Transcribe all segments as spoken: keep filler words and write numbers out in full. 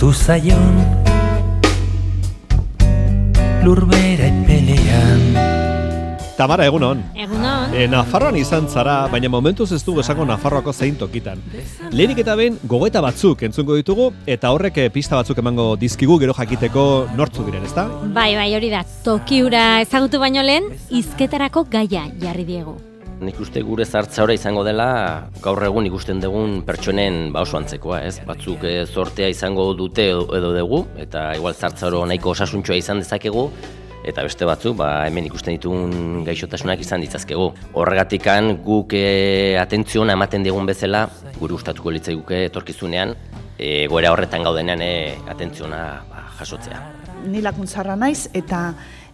Kendu zaion lurbera epelean. Tamara, egunon. Egunon. E, Nafarroan izan zara, baina momentuz ez dugu esango Nafarroako zein tokitan. Lehenik eta behin gogoeta batzuk entzungo ditugu, eta horrek pista batzuk emango dizkigu gero jakiteko nortzu diren, ezta? Bai, bai, hori da. Tokiura ezagutu baino lehen, hizketarako gaia jarri diegu. Nik uste gure zartzaora izango dela gaur egun ikusten dugun pertsonen ba oso antzekoa, ez? Batzuk e, zortea izango dute edo, edo dugu, eta igual zartzaoro nahiko osasuntxoa izan dezakegu, eta beste batzuk ba, hemen ikusten ditugun gaixotasunak izan ditzazkegu. Horregatikan guk e, atentziona ematen digun bezala, gure gustatuko litzaiguke etorkizunean, e, goera horretan gaudenean e, atentziona ba, jasotzea. Ni lakuntzarra naiz eta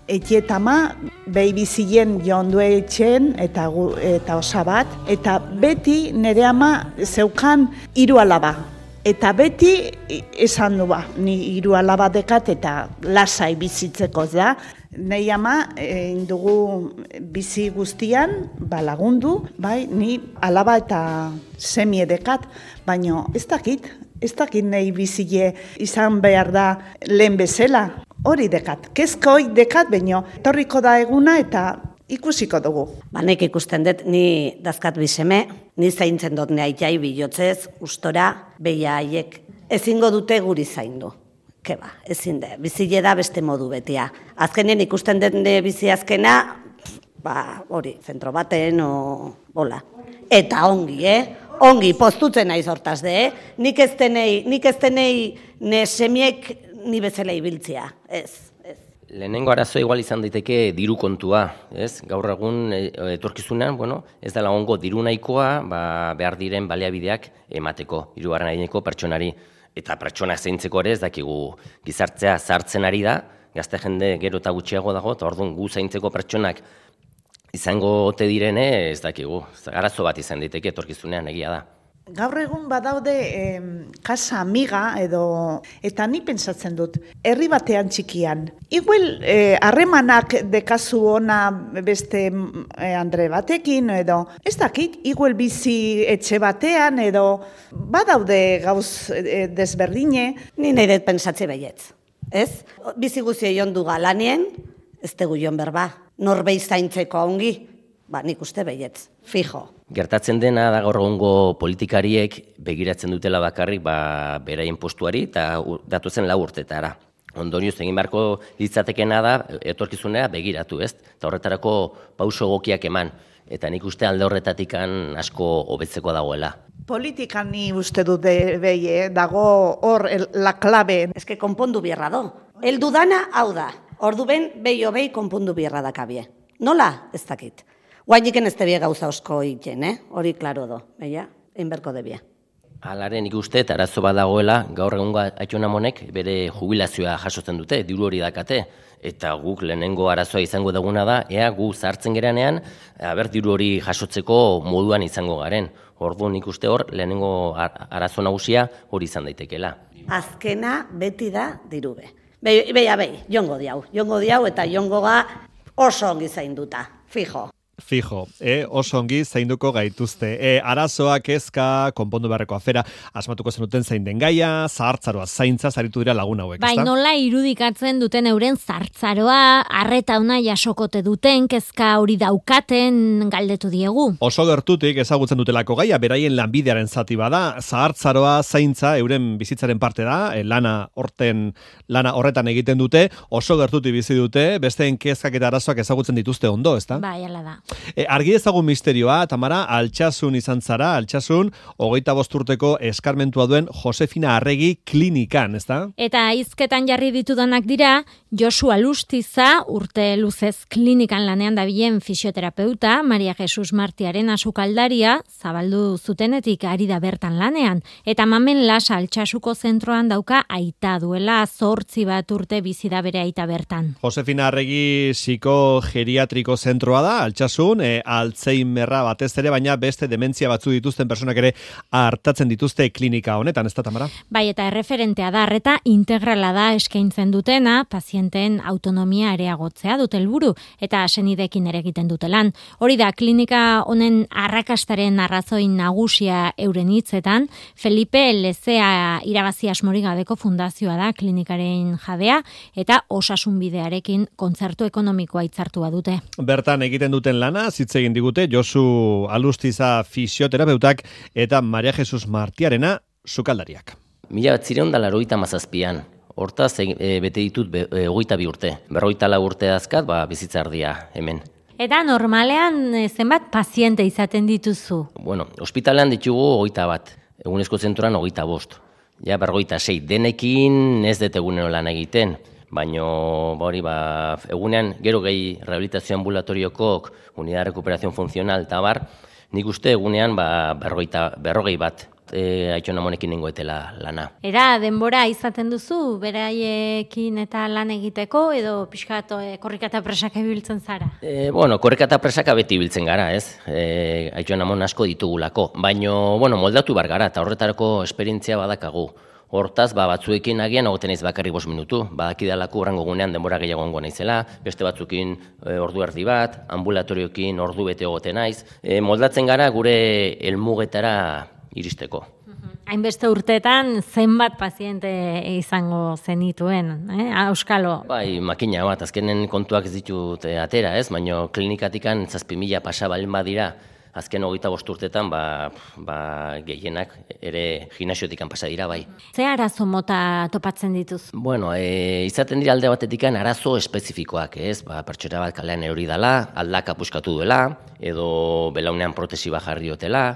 etxetama behi bizien joan du etxen eta, eta osabat, eta beti nire ama zeukan hiru alaba. Eta beti esan du ba, ni hiru alaba dekat eta lasai bizitzeko da. Nei ama egin dugu bizi guztian ba, lagundu, bai, ni alaba eta semie dekat, baina ez dakit, ez dakit nahi bizile izan behar da lehen bezala. Hori dekat, kezkoi dekat, baino etorriko da eguna eta ikusiko dugu. Ba, nik ikusten dut, ni dazkat bizeme, ni zaintzen dut ne aitai bilotzez, ustora, beia haiek ezingo dute guri zaindu. Keba, ezin de, bizile da beste modu betia. Azkenen ikusten dut ne bizi azkena, ba, hori, zentro baten, o, bola. Eta ongi, eh? Ongi, postutzen naiz hortaz de, eh? Nik ez denei, nik ez denei ne semiek ni bezala ibiltzea, ez, ez. Lehenengo arazoa igual izan daiteke diru kontua, ez? Gaur egun etorkizunean, bueno, ez dela ongo diru nahikoa, ba, behar diren baliabideak emateko, hirugarren adineko pertsonari. Eta pertsona zaintzeko ere ez dakigu gizartzea zartzen ari da, gazte jende gero eta gutxiago dago, eta orduan gu zaintzeko pertsonak izango ote direne ez dakigu. Arazo bat izan daiteke etorkizunean egia da. Gaur egun badaude eh, kasa amiga edo, eta ni pentsatzen dut, herri batean txikian. Igual harremanak eh, dekazu ona beste eh, andre batekin edo, ez dakit, igual bizi etxe batean edo, badaude gauz eh, desberdine. Ni nahi dut pentsatze baietz, ez? Bizi guzio joan du galanien, ez tegu joan berba, norbei zaintzeko ongi, ba nik uste baietz, fijo. Gertatzen dena da gaur egungo politikariek begiratzen dutela bakarrik ba, beraien postuari eta datozen lau urtetara. Ondorioz egin beharko litzatekena da etorkizunera begiratu, ez? Eta horretarako pauso egokiak eman. Eta nik uste alde horretatikan asko hobetzeko dagoela. Politikan ni uste dut behi, dago hor la klabe. Eske konpondu bierra do. Eldu dana hau da. Ordu ben behi hobei konpondu bierra dakabie. Nola? Ez dakit. Guainiken ez tebie gauza osko egiten, eh? Hori klaro do, beia, einberko debia. Alaren ikuste eta arazo bat dagoela, gaur egungo aitonamonek bere jubilazioa jasotzen dute, diru hori dakate, eta guk lehenengo arazoa izango duguna da, ea gu zartzen geranean, aber diru hori jasotzeko moduan izango garen. Orduan ikuste hor, lehenengo arazo nagusia hori izan daitekela. Azkena beti da dirube. Beia, behi, jongo diau, jongo diau eta jongo ga oso ongi zainduta, fijo. Fijo, e, oso ongi zainduko gaituzte. E, arazoa, kezka, konpondu beharreko afera, asmatuko zenuten zain den gaia, zahartzaroa zaintza, zaritu dira lagun hauek, bai, ezta? Bai, nola irudikatzen duten euren zahartzaroa, arreta una jasokote duten, kezka hori daukaten galdetu diegu. Oso gertutik ezagutzen dutelako gaia, beraien lanbidearen zati bada, zahartzaroa zaintza, euren bizitzaren parte da, e, lana horten, lana horretan egiten dute, oso gertutik bizi dute, besteen kezkak eta arazoak ezagutzen dituzte ondo, ezta? Bai, ala da. E, argi ezagun misterioa, Tamara, Altsasun izan zara, Altsasun, hogeita bost urteko eskarmentua duen Josefina Arregi klinikan, ezta? Eta hizketan jarri ditudanak dira, Josu Alustiza, urte luzez klinikan lanean dabilen fisioterapeuta, Maria Jesus Martiaren asukaldaria, zabaldu zutenetik ari da bertan lanean, eta Mamen Lasa Altsasuko zentroan dauka aita duela zortzi bat urte bizi da bere aita bertan. Josefina Arregi psikogeriatriko zentroa da, Altsasun duzun, e, Alzheimerra batez ere, baina beste dementzia batzu dituzten personak ere hartatzen dituzte klinika honetan, ez da, Tamara? Bai, eta erreferentea da, arreta integrala da eskaintzen dutena, pazienteen autonomia areagotzea dute helburu eta senideekin ere egiten dute lan. Hori da, klinika honen arrakastaren arrazoi nagusia euren hitzetan, Felipe Lezea irabazi asmorik gabeko fundazioa da klinikaren jabea eta osasunbidearekin kontzertu ekonomikoa hitzartua dute. Bertan egiten duten lana, hitz egin digute Josu Alustiza fisioterapeutak eta Maria Jesus Martiarena sukaldariak. Mila bat zireun da laroita mazazpian, hortaz e, bete ditut be, e, hogeita bi urte. Berroita lau urte azkat, ba, bizitza erdia hemen. Eta normalean zenbat paziente izaten dituzu? Bueno, ospitalean ditugu hogeita bat, egunezko zentroan hogeita bost. Ja, berroita sei, denekin ez dut egunero lan egiten, baina hori ba, egunean gero gehi rehabilitazio ambulatoriokok, unidad de recuperación funcional eta bar, nik uste egunean ba, berroita, berrogei bat. E, Aitona Monekin nengoetela lana. Era denbora izaten duzu beraiekin eta lan egiteko edo pixkat e, korrika eta presaka ibiltzen zara? E, bueno, korrika eta presaka beti ibiltzen gara, ez? E, Aitona Mon asko ditugulako, baino bueno, moldatu bar gara eta horretarako esperientzia badakagu. Hortaz, ba, batzuekin agian egoten naiz bakarrik bost minutu, badakidalako urrango gunean denbora gehiago ongo naizela, beste batzuekin e, ordu erdi bat, ambulatorioekin ordu bete egoten naiz. E, moldatzen gara gure helmugetara iristeko. Hainbeste urteetan zenbat paziente izango zenituen, eh? Auskalo. Bai, makina bat, azkenen kontuak ez ditut atera, ez? Baina klinikatikan zazpi mila pasa balen badira, azken hogeita bost urtetan, ba, ba, gehienak ere gimnasiotikan pasa dira, bai. Ze arazo mota topatzen dituz? Bueno, e, izaten dira alde batetikan arazo espezifikoak, ez? Ba, pertsona bat kalean erori dela, aldaka puskatu duela, edo belaunean protesi bat jarri dutela,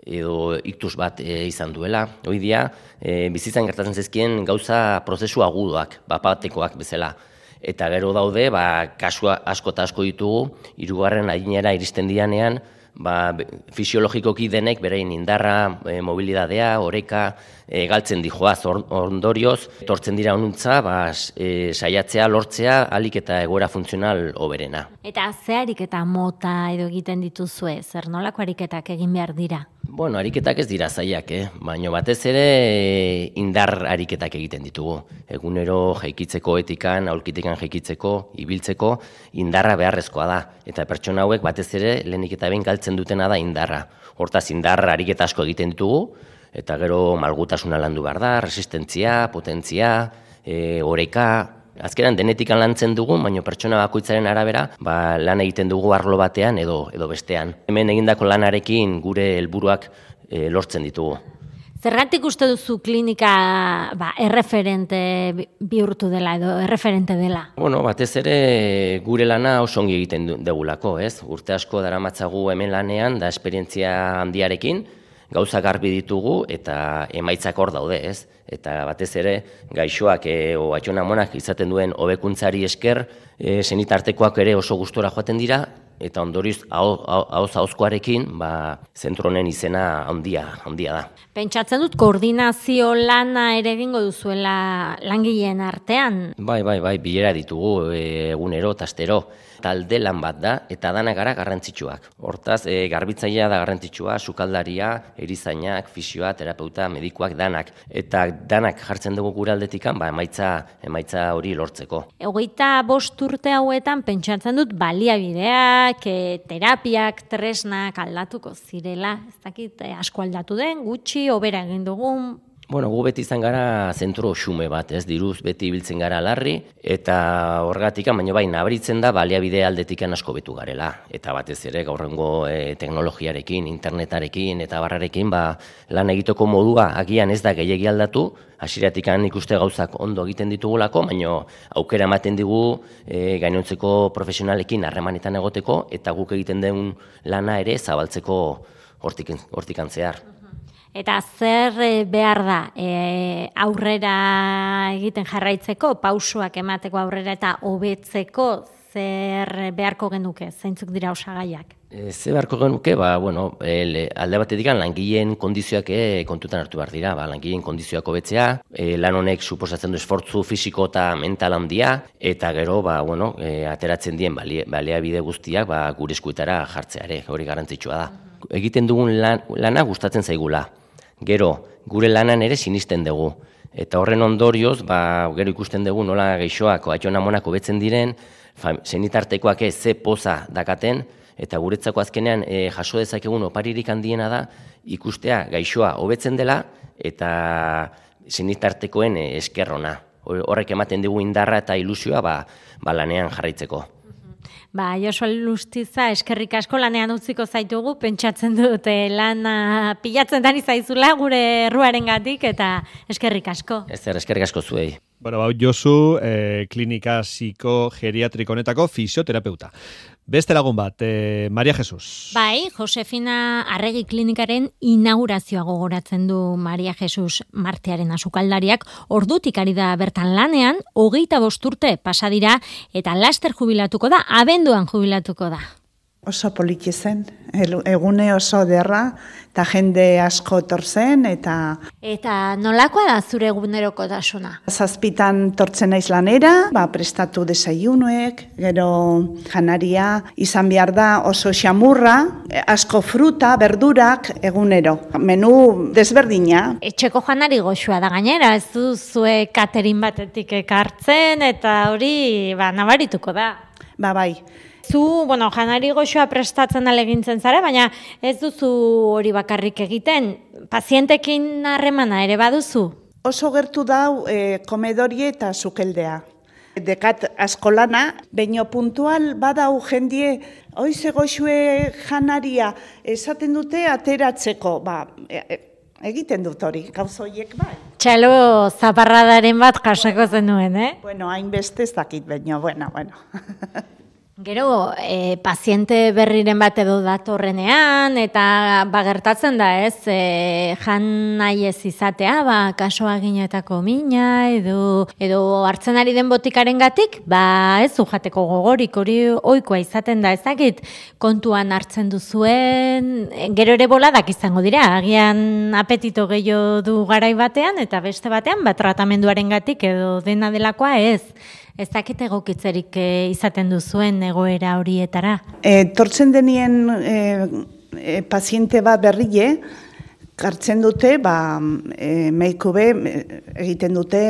edo iktus bat e, izan duela. Hoi dia, e, bizitzan gertatzen zezkien gauza prozesu agudoak, bapatekoak bezala. Eta gero daude, ba, kasua asko eta asko ditugu, hirugarren adinera iristen dianean, ba, fisiologikoki denek berein indarra, e, mobilidadea, oreka, e, galtzen dijoaz ondorioz, etortzen dira honuntza, ba, e, saiatzea, lortzea, alik eta egoera funtzional hoberena. Eta ze ariketa mota edo egiten dituzue, zer nolako ariketak egin behar dira? Bueno, ariketak ez dira zaiak, eh? Baina batez ere indar ariketak egiten ditugu. Egunero jaikitzeko etikan, aulkitikan jaikitzeko, ibiltzeko, indarra beharrezkoa da. Eta pertsona hauek batez ere lehenik eta behin galtzen dutena da indarra. Hortaz indar ariketa asko egiten ditugu, eta gero malgutasuna landu behar da, resistentzia, potentzia, e, oreka. Azkenan denetikan lantzen dugu, baina pertsona bakoitzaren arabera, ba, lan egiten dugu arlo batean edo edo bestean. Hemen egindako lanarekin gure helburuak e, lortzen ditugu. Zergatik uste duzu klinika ba, erreferente bihurtu dela edo erreferente dela? Bueno, batez ere gure lana oso ongi egiten dugulako, ez? Urte asko daramatzagu hemen lanean da esperientzia handiarekin, gauza garbi ditugu eta emaitzak hor daude, ez? Eta batez ere gaixoak e, o Aitona Monak izaten duen hobekuntzari esker e, senitartekoak ere oso gustora joaten dira eta ondorioz ahoz ahozkoarekin ba zentro honen izena handia handia da. Pentsatzen dut koordinazio lana ere egingo duzuela langileen artean. Bai, bai, bai, bilera ditugu e, egunero eta astero. Talde lan bat da eta dana gara garrantzitsuak. Hortaz, e, garbitzailea da garrantzitsua, sukaldaria, erizainak, fisioa, terapeuta, medikuak danak eta danak jartzen dugu gure aldetikan, ba emaitza emaitza hori lortzeko. Hogeita bost urte hauetan pentsatzen dut baliabideak, e, terapiak, tresnak aldatuko zirela. Ez dakit e, asko aldatu den, gutxi, hobera egin dugun. Bueno, gu beti izan gara zentro xume bat, ez, diruz beti ibiltzen gara larri, eta horregatikan, baina bai, nabaritzen da baliabide aldetikan asko betu garela. Eta batez ere, gaurrengo e, teknologiarekin, internetarekin eta barrarekin, ba, lan egiteko modua agian ez da gehiegi aldatu, hasieratikan ikuste gauzak ondo egiten ditugulako, baina aukera ematen digu e, gainontzeko profesionalekin harremanetan egoteko, eta guk egiten den lana ere zabaltzeko hortik, hortikan zehar. Eta zer behar da e, aurrera egiten jarraitzeko, pausuak emateko aurrera eta hobetzeko zer beharko genuke, zeintzuk dira osagaiak? E, ze beharko genuke, ba, bueno, el, alde batetik langileen kondizioak e, kontutan hartu behar dira, ba, langileen kondizioak hobetzea, e, lan honek suposatzen du esfortzu fisiko eta mental handia, eta gero, ba, bueno, e, ateratzen dien baliabide guztiak ba, gure eskuetara jartzeare, hori garrantzitsua da. Egiten dugun lan, lana gustatzen zaigula, gero, gure lanan ere sinisten dugu, eta horren ondorioz, ba, gero ikusten dugu nola geixoak, koatxon amonak hobetzen diren, senitartekoak ez ze poza dakaten, eta guretzako azkenean e, jaso dezakegun oparirik handiena da ikustea gaixoa hobetzen dela eta senitartekoen e, eskerrona. Horrek ematen dugu indarra eta ilusioa ba, ba lanean jarraitzeko. Ba, Josu Alustiza, eskerrik asko lanean utziko zaitugu, pentsatzen dute lana pilatzen dani zaizula gure erruarengatik eta eskerrik asko. Ez zer, eskerrik asko zuei. Bueno, bau Josu, eh, klinika psikogeriatriko honetako fisioterapeuta. Beste lagun bat, eh, Maria Jesus. Bai, Josefina Arregi klinikaren inaugurazioa gogoratzen du Maria Jesus Martiaren asukaldariak. Ordutik ari da bertan lanean, hogeita bost urte pasa dira eta laster jubilatuko da, abenduan jubilatuko da. Oso poliki zen, egune oso derra, eta jende asko torzen, eta... Eta nolakoa da zure egunerokotasuna? Zazpitan tortzen naiz lanera, ba, prestatu desayunuek, gero janaria, izan behar da oso xamurra, asko fruta, berdurak, egunero. Menu desberdina. Etxeko janari goxua da gainera, ez du zue katerin batetik ekartzen, eta hori ba, nabarituko da. Ba, bai. Zu, bueno, janari goxoa prestatzen alegintzen zara, baina ez duzu hori bakarrik egiten. Pazientekin harremana ere baduzu? Oso gertu dau e, komedorie eta sukeldea. Dekat askolana, baino puntual badau jendie, oize goxue janaria, esaten dute ateratzeko, ba, e, e, egiten dut hori, gauzoiek bai. Txalo zaparradaren bat jasako zenuen, eh? Bueno, hainbeste ez dakit, baino, bueno, bueno. Gero, e, paziente berriren bat edo datorrenean, eta bagertatzen da ez, e, jan nahi ez izatea, ba, kasoa ginetako mina, edo, edo hartzen ari den botikaren gatik, ba, ez jateko gogorik, hori ohikoa izaten da, ezakit, kontuan hartzen duzuen, gero ere boladak izango dira, agian apetito gehiago du garai batean, eta beste batean, ba, tratamenduaren gatik, edo dena delakoa ez. Ez dakit egokitzerik e, izaten duzuen egoera horietara? E, tortzen denien e, e, paziente bat berrie, kartzen dute, ba, e, meikube egiten dute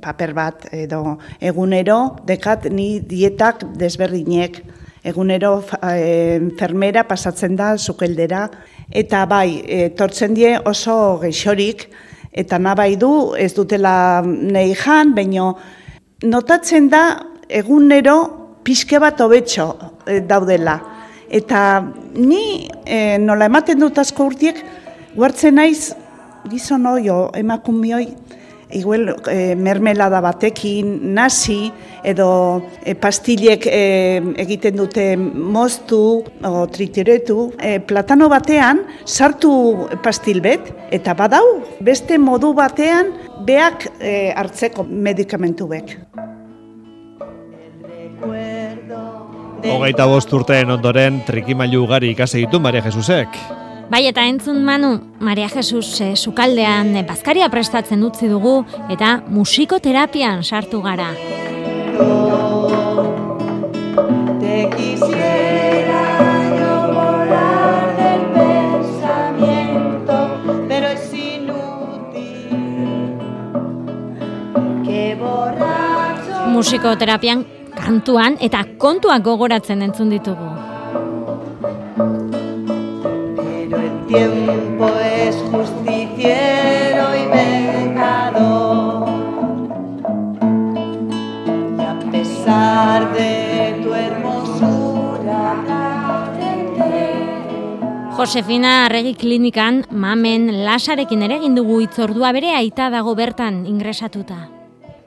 paper bat, edo egunero, dekat ni dietak desberdinek, egunero e, enfermera pasatzen da sukeldera, eta bai, e, tortzen die oso geixorik, eta nabai du, ez dutela nei jan, baino, notatzen da egunero pixke bat hobetxo e, daudela. Eta ni e, nola ematen dut asko urtiek, guartzen naiz gizon oio emakumioi, igual e, mermelada batekin, nasi, edo e, pastilek e, egiten dute moztu, o tritiretu, e, platano batean sartu pastil bet, eta badau, beste modu batean beak e, hartzeko medikamentu bek. Hogeita bost urteen ondoren trikimailu ugari ikasi ditu Maria Jesusek. Bai, eta entzun Manu, Maria Jesus eh, sukaldean eh, bazkaria prestatzen utzi dugu eta musikoterapian sartu gara. Te quisiera yo volar del pensamiento, pero es inútil que borracho... Musikoterapian kantuan eta kontuak gogoratzen entzun ditugu. Tiempo es justiciero y vengador, y a pesar de tu hermosura Josefina Arregi klinikan Mamen Lasarekin ere egin dugu hitzordua, bere aita dago bertan ingresatuta.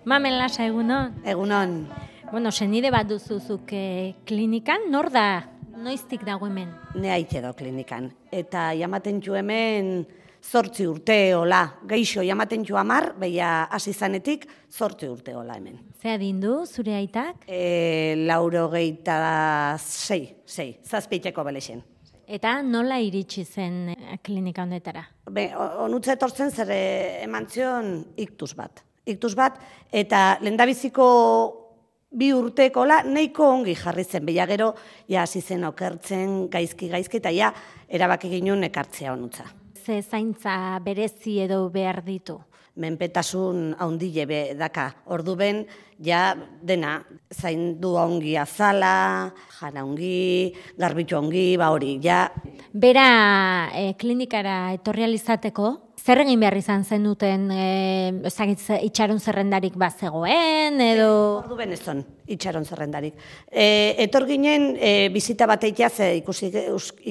Mamen Lasa, egunon? Egunon. Bueno, senide bat duzuzuk eh, klinikan, nor da? Noiztik dago hemen? Ne aite do klinikan. Eta jamaten ju hemen zortzi urte hola. Geixo jamaten ju amar, beia hasi zanetik zortzi urte hola hemen. Ze adindu zure aitak? E, lauro geita sei, sei, zazpeiteko belexen. Eta nola iritsi zen klinika honetara? Be, onutza etortzen zer eman zion iktus bat. Iktus bat, eta lehendabiziko bi urtekola nahiko ongi jarri zen. Beia gero, ja, hasi zen okertzen, gaizki-gaizki, eta ja, erabaki ginen ekartzea onutza. Ze zaintza berezi edo behar ditu? Menpetasun haundile be daka. Ordu ben, ja, dena, zaindu ongi azala, jana ongi, garbitu ongi, ba hori, ja. Bera e, klinikara etorri alizateko, zer egin behar izan zen duten, e, ezagitz, itxaron zerrendarik bazegoen, edo... Ordu ben ez zon, itxaron zerrendarik. E, etor ginen, e, bizita bat eitea ze ikusi,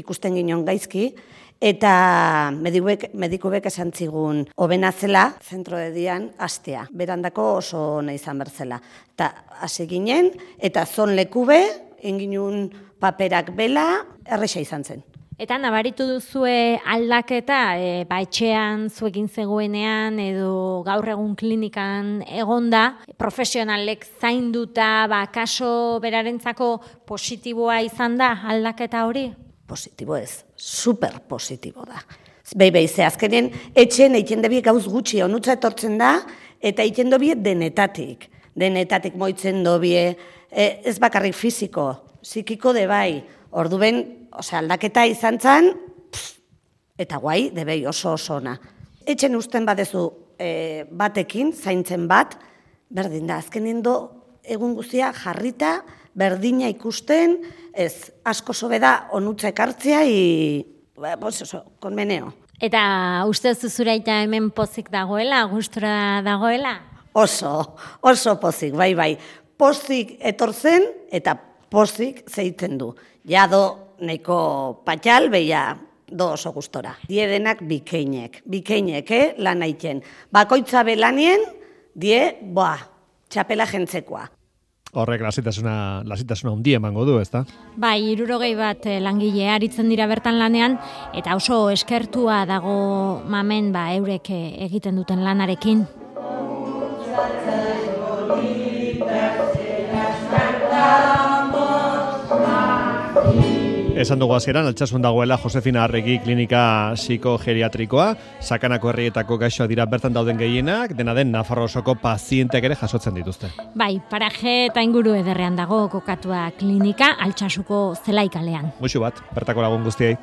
ikusten ginen gaizki, eta medikuek, medikuek esan zigun hobena zela, zentro de dian, astea. Berandako oso ona izan berzela. Eta hasi ginen, eta zon lekube, enginun paperak bela, erresa izan zen. Eta nabaritu duzue aldaketa, e, ba, etxean zuekin zegoenean edo gaur egun klinikan egonda, profesionalek zainduta, ba, kaso berarentzako positiboa izan da aldaketa hori? Positibo ez, super positibo da. Behi behi, ze azkenen etxen egiten debiek gauz gutxi onutza etortzen da, eta egiten dobie denetatik. Denetatik moitzen dobie, e, ez bakarrik fiziko, psikiko de bai. Ordu ben, ose, aldaketa izan zan, pff, eta guai, debei oso oso ona. Etxen usten badezu e, batekin, zaintzen bat, berdin da, azkenen do egun guztia jarrita, berdina ikusten, ez, asko sobe da onutza ekartzea, i, pues oso, konmeneo. Eta uste zuzuraita hemen pozik dagoela, gustura dagoela? Oso, oso pozik, bai, bai. Pozik etortzen eta pozik zeitzen du. Ja do, nahiko patxal, beia, do oso gustora. Diedenak bikeinek, bikeinek, eh, lan haiten. Bakoitza belanien, die, boa, txapela jentzekoa. Horrek lasitasuna, lasitasuna hundi emango du, ezta? Bai, hirurogei bat langile aritzen dira bertan lanean, eta oso eskertua dago mamen ba eurek egiten duten lanarekin. Esan dugu hasieran, Altsasun dagoela Josefina Arregi klinika psikogeriatrikoa, Sakanako herrietako gaixoak dira bertan dauden gehienak, dena den Nafarro osoko pazienteak ere jasotzen dituzte. Bai, paraje eta inguru ederrean dago kokatua klinika Altsasuko zelaikalean. Muxu bat, bertako lagun guztiei.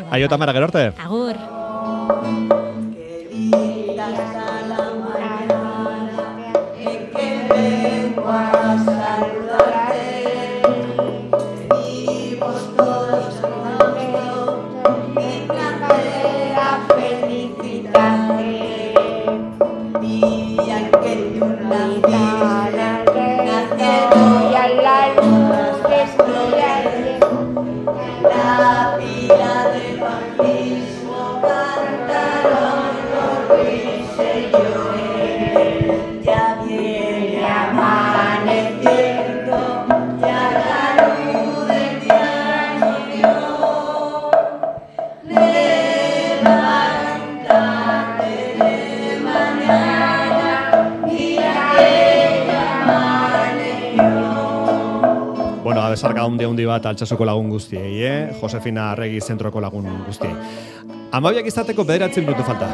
Aio Tamara, gero arte. Agur. Bueno, abezarka handi handi bat Altsasuko lagun guztiei, eh? Josefina Arregi zentroko lagun guztiei. Amabiak izateko bederatzen minutu falta.